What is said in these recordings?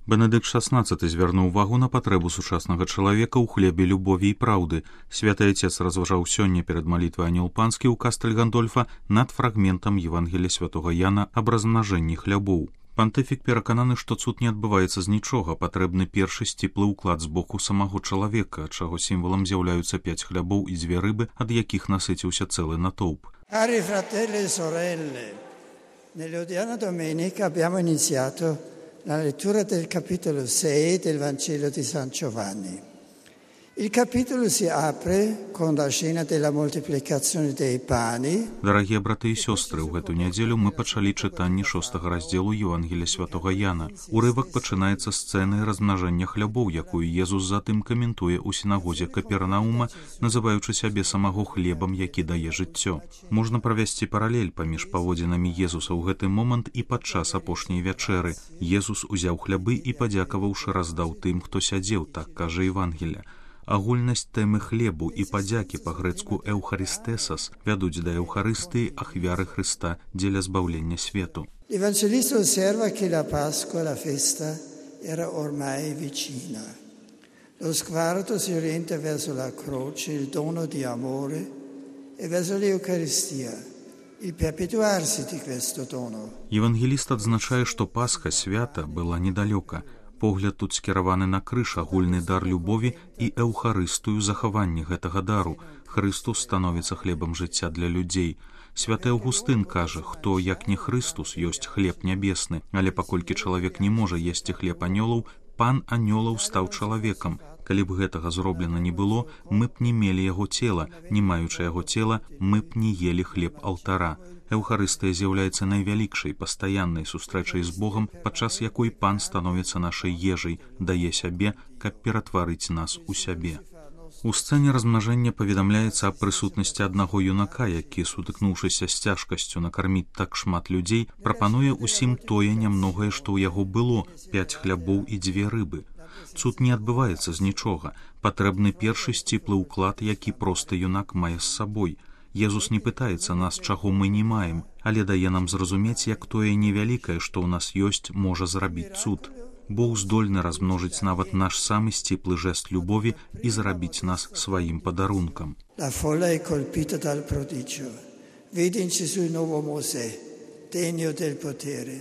Бенедыкт XVI звярнуў увагу на патрэбу сучаснага чалавека ў хлебе любові і праўды. Святы Отец разважаў сёння перад малітвай Анёл Панскі ў Кастэль Гандольфа над фрагментам Евангелія святога Яна аб размнажэнні хлябоў. Пантыфік перакананы, што цуд не адбываецца з нічога, патрэбны першы сціплы ўклад з боку самого чалавека, чаго сімвалам з'яўляюцца 5 хлябоў і 2 рыбы, ад якіх насыціўся цэлы натоўп. Cari fratelli e sorelle, nell'odierna domenica abbiamo iniziato la lettura del capitolo 6 del Vangelo di San Giovanni. Il capitolo si apre con la scena della moltiplicazione dei pani. Дарагія браты і сёстры, у гэту нядзелю мы пачалі чытанне 6-го раздзелу Евангелія святога Яна. Урывак пачынаецца сцэнай размнажэння хлябоў, якую Езус затым каментуе ў сінагозе Капернаума, называючы сябе самого хлебам, які дае жыццё. Можна правесці паралель паміж паводзінамі Езуса ў гэты момант і падчас апошняй вячэры. Езус узяў хлябы і, падзякаваўшы, раздаў тым, хто сядзеў, так кажа Евангелія. Агульнасць тэмы хлебу і падзякі па-грэцку «еўхаристесас» вядуць да Еўхарыстыі, ахвяры Хрыста дзеля збаўлення свету. L'Evangelista osserva che la Pasqua, la festa, era ormai vicina. Lo sguardo si orienta verso la croce, il dono di amore, e verso l'Eucaristia, il perpetuarsi di questo dono. Евангеліст адзначае, што Пасха свята была недалёка. Погляд тут скіраваны на крыж, агульны дар любові і эўхарыстыю захаванне гэтага дару. Хрыстус становіцца хлебам жыцця для людзей. Святы Аўгустын кажа, хто, як не Хрыстус, ёсць хлеб нябесны, але паколькі чалавек не можа есці хлеб анёлаў, пан анёлаў стаў чалавекам. Калі б гэтага зроблена не было, мы б не мелі яго цела, не маючы яго цела, мы б не елі хлеб алтара. Эўхарыстыя з'яўляецца найвялікшай пастаяннай сустрэчай з Богам, падчас якой пан становіцца нашай ежай, дае сябе, каб ператварыць нас у сябе. У сцэне размнажэння паведамляецца аб прысутнасці аднаго юнака, які, сутыкнуўшыся з цяжкасцю накарміць так шмат людзей, прапануе ўсім тое нямногае, што ў яго было, 5 хлябоў і 2 рыбы. Цуд не адбываецца з нічога, патрэбны першы сціплы ўклад, які просты юнак мае з сабой. Езус не пытаецца нас, чаго мы не маем, але дае нам зразумець, як тое невялікае, што ў нас ёсць, можа зрабіць цуд. Бог здольны размножыць нават наш самы сціплы жэст любові і зрабіць нас сваім падарункам. La folla è colpita dal prodigio. Vede in Gesù il nuovo Mosè, degno del potere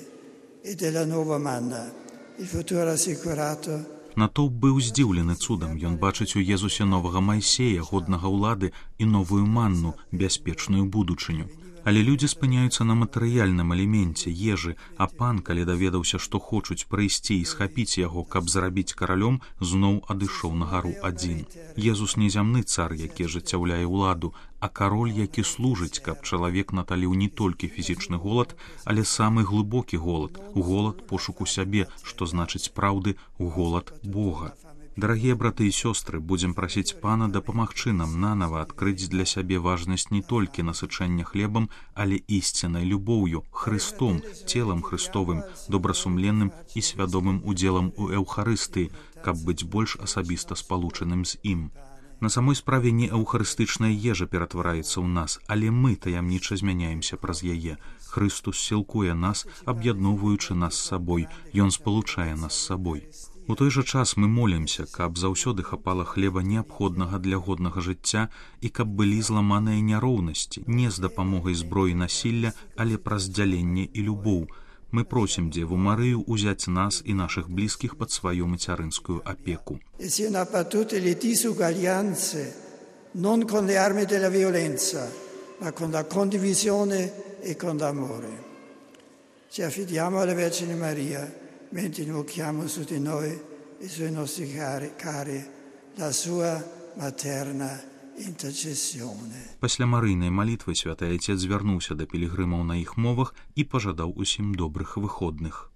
e della nuova manna, il futuro assicurato. Натоўп быў здзіўлены цудам, ён бачыць у Езусе новага Майсея, годнага ўлады і новую манну, бяспечную будучыню. Але людзі спыняюцца на матэрыяльным элеменце, ежы, а пан, калі даведаўся, што хочуць прыйсці і схапіць яго, каб зрабіць каралём, зноў адышоў на гару адзін. Езус не зямны цар, які ажыццяўляе ўладу, а кароль, які служыць, каб чалавек наталіў не толькі фізічны голад, але самы глыбокі голад, голад пошуку сябе, што значыць праўды, голад Бога. Дарагія браты і сёстры, будзем прасіць пана дапамагчы нам нанава адкрыць для сябе важнасць не толькі насычэння хлебам, але ісціннай любоўю, Христом, целам Христовым, добрасумленным і свядомым удзелам у Еўхарыстыі, каб быць больш асабіста спалучаным з ім. На самой справе не эўхарыстычная ежа ператвараецца ў нас, але мы таямніча змяняемся праз яе. Хрыстус сілкуе нас, аб'ядноўваючы нас з сабой, ён спалучае нас з сабой. У той жа час мы молімся, каб заўсёды хапала хлеба неабходнага для годнага жыцця і каб былі зламаныя няроўнасці, не з дапамогай зброі насілля, але праз дзяленне і любоў. Мы просім Дзеву Марыю узяць нас і нашых блізкіх пад сваю мацярынскую апеку. Siano abbattute le disuguaglianze, non con le armi della violenza, ma con la condivisione e con l'amore. Ci affidiamo alla Vergine Maria, mentre invochiamo su di noi e sui nostri cari la sua materna intercessione. Пасля марыйнай малітвы святы Отец звярнуўся да пілігрымаў на іх мовах і пажадаў усім добрых выходных.